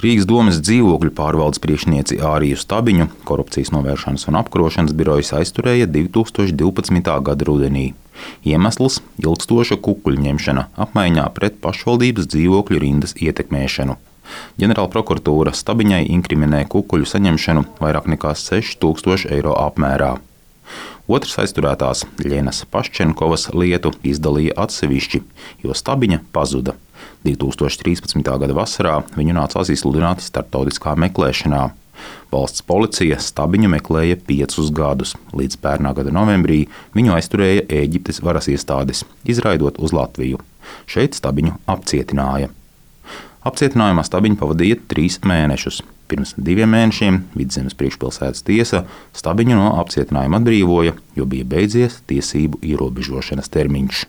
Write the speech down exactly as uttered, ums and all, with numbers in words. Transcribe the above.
Rīgas domes dzīvokļu pārvaldes priekšnieci Āriju Stabiņu Korupcijas novēršanas un apkarošanas birojas aizturēja divi tūkstoši divpadsmitā gada rudenī. Iemesls – ilgstoša kukuļu ņemšana apmaiņā pret pašvaldības dzīvokļu rindas ietekmēšanu. Ģenerālprokuratūra Stabiņai inkriminē kukuļu saņemšanu vairāk nekā seši tūkstoši eiro apmērā. Otrs aizturētās Ļenas Paščenkovas lietu izdalīja atsevišķi, jo Stabiņa pazuda. divi tūkstoši trīspadsmitā gada vasarā viņu nācās izsludināt starptautiskā meklēšanā. Valsts policija Stabiņu meklēja piecus gadus. Līdz pērnā gada novembrī viņu aizturēja Ēģiptes varas iestādes, izraidot uz Latviju. Šeit Stabiņu apcietināja. Apcietinājumā Stabiņu pavadīja trīs mēnešus. Pirms diviem mēnešiem Vidzemes priekšpilsētas tiesa Stabiņu no apcietinājuma atbrīvoja, jo bija beidzies tiesību ierobežošanas termiņš.